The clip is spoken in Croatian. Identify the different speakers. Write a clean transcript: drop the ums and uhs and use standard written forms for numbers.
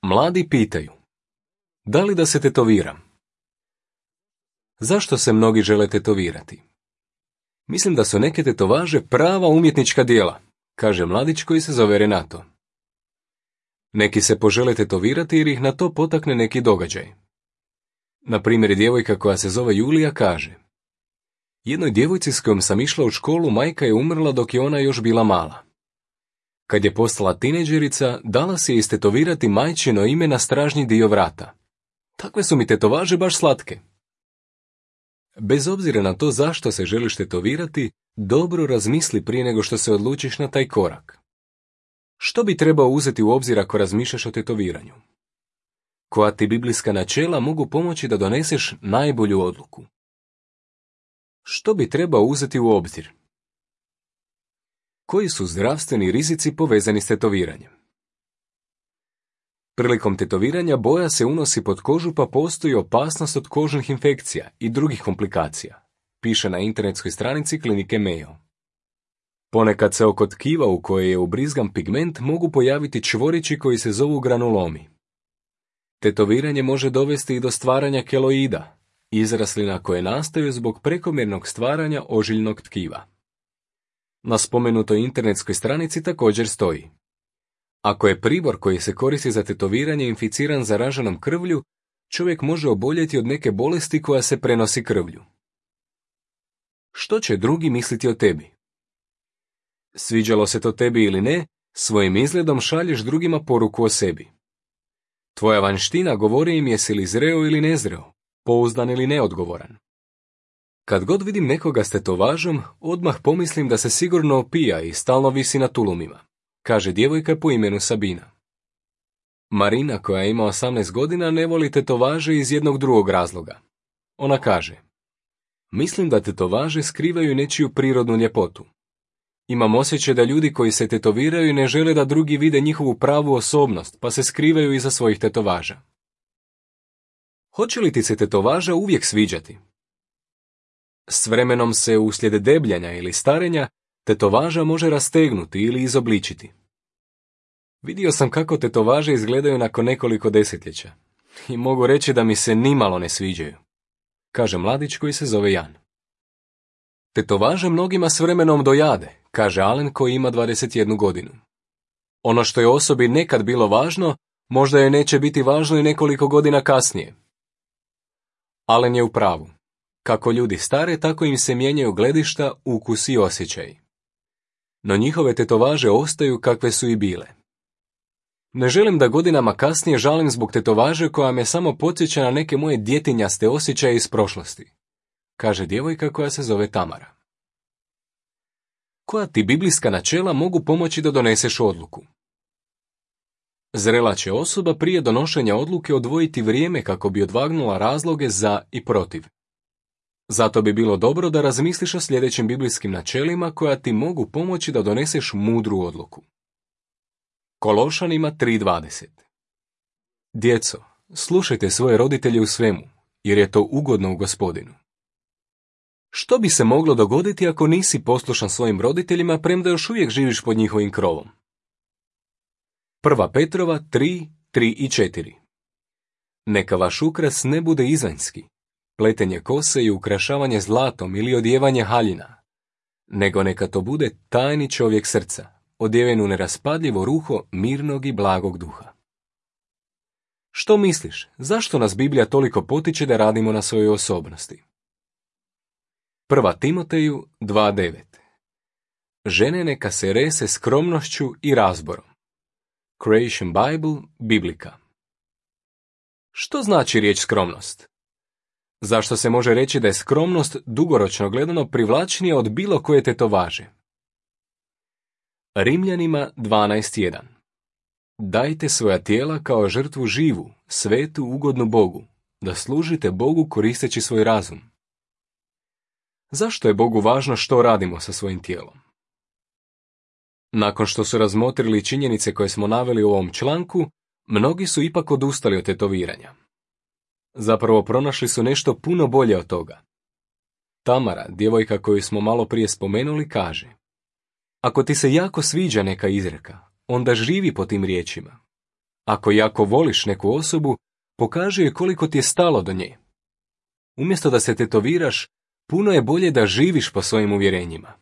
Speaker 1: Mladi pitaju: da li da se tetoviram? Zašto se mnogi žele tetovirati? Mislim da su neke tetovaže prava umjetnička djela, kaže mladić koji se zove Renato. Neki se požele tetovirati jer ih na to potakne neki događaj. Na primjer, djevojka koja se zove Julija kaže: jednoj djevojci s kojom sam išla u školu majka je umrla dok je ona još bila mala. Kad je postala tinejdžerica, dala si je istetovirati majčino ime na stražnji dio vrata. Takve su mi tetovaže baš slatke. Bez obzira na to zašto se želiš tetovirati, dobro razmisli prije nego što se odlučiš na taj korak. Što bi trebao uzeti u obzir ako razmišljaš o tetoviranju? Koja ti biblijska načela mogu pomoći da doneseš najbolju odluku? Što bi trebao uzeti u obzir? Koji su zdravstveni rizici povezani s tetoviranjem? Prilikom tetoviranja boja se unosi pod kožu pa postoji opasnost od kožnih infekcija i drugih komplikacija, piše na internetskoj stranici klinike Mayo. Ponekad se oko tkiva u koje je ubrizgan pigment mogu pojaviti čvorići koji se zovu granulomi. Tetoviranje može dovesti i do stvaranja keloida, izraslina koje nastaju zbog prekomjernog stvaranja ožiljnog tkiva. Na spomenutoj internetskoj stranici također stoji: ako je pribor koji se koristi za tetoviranje inficiran zaraženom krvlju, čovjek može oboljeti od neke bolesti koja se prenosi krvlju. Što će drugi misliti o tebi? Sviđalo se to tebi ili ne, svojim izgledom šalješ drugima poruku o sebi. Tvoja vanština govori im jesi li zreo ili nezreo, pouzdan ili neodgovoran. Kad god vidim nekoga s tetovažom, odmah pomislim da se sigurno opija i stalno visi na tulumima, kaže djevojka po imenu Sabina. Marina, koja ima 18 godina, ne voli tetovaže iz jednog drugog razloga. Ona kaže: mislim da tetovaže skrivaju nečiju prirodnu ljepotu. Imam osjećaj da ljudi koji se tetoviraju ne žele da drugi vide njihovu pravu osobnost, pa se skrivaju iza svojih tetovaža. Hoće li ti se tetovaža uvijek sviđati? S vremenom se uslijed debljanja ili starenja tetovaža može rastegnuti ili izobličiti. Vidio sam kako tetovaže izgledaju nakon nekoliko desetljeća i mogu reći da mi se nimalo ne sviđaju, kaže mladić koji se zove Jan. Tetovaže mnogima s vremenom dojade, kaže Alen koji ima 21 godinu. Ono što je osobi nekad bilo važno, možda je neće biti važno i nekoliko godina kasnije. Alen je u pravu. Kako ljudi stare, tako im se mijenjaju gledišta, ukusi i osjećaji. No njihove tetovaže ostaju kakve su i bile. Ne želim da godinama kasnije žalim zbog tetovaže koja me samo podsjeća na neke moje djetinjaste osjećaje iz prošlosti, kaže djevojka koja se zove Tamara. Koja ti biblijska načela mogu pomoći da doneseš odluku? Zrela će osoba prije donošenja odluke odvojiti vrijeme kako bi odvagnula razloge za i protiv. Zato bi bilo dobro da razmisliš o sljedećim biblijskim načelima koja ti mogu pomoći da doneseš mudru odluku. Kološanima 3:20. Djeco, slušajte svoje roditelje u svemu, jer je to ugodno u Gospodinu. Što bi se moglo dogoditi ako nisi poslušan svojim roditeljima premda još uvijek živiš pod njihovim krovom? 1. Petrova 3:3 i 4. Neka vaš ukras ne bude izvanjski, pletenje kose i ukrašavanje zlatom ili odjevanje haljina, nego neka to bude tajni čovjek srca, odjeven u neraspadljivo ruho mirnog i blagog duha. Što misliš, zašto nas Biblija toliko potiče da radimo na svojoj osobnosti? 1. Timoteju 2:9. Žene neka se rese skromnošću i razborom. Creation Bible, Biblika. Što znači riječ skromnost? Zašto se može reći da je skromnost dugoročno gledano privlačnija od bilo koje tetovaže? Rimljanima 12:1. Dajte svoja tijela kao žrtvu živu, svetu, ugodnu Bogu, da služite Bogu koristeći svoj razum. Zašto je Bogu važno što radimo sa svojim tijelom? Nakon što su razmotrili činjenice koje smo naveli u ovom članku, mnogi su ipak odustali od tetoviranja. Zapravo pronašli su nešto puno bolje od toga. Tamara, djevojka koju smo malo prije spomenuli, kaže: ako ti se jako sviđa neka izreka, onda živi po tim riječima. Ako jako voliš neku osobu, pokaži joj koliko ti je stalo do nje. Umjesto da se tetoviraš, puno je bolje da živiš po svojim uvjerenjima.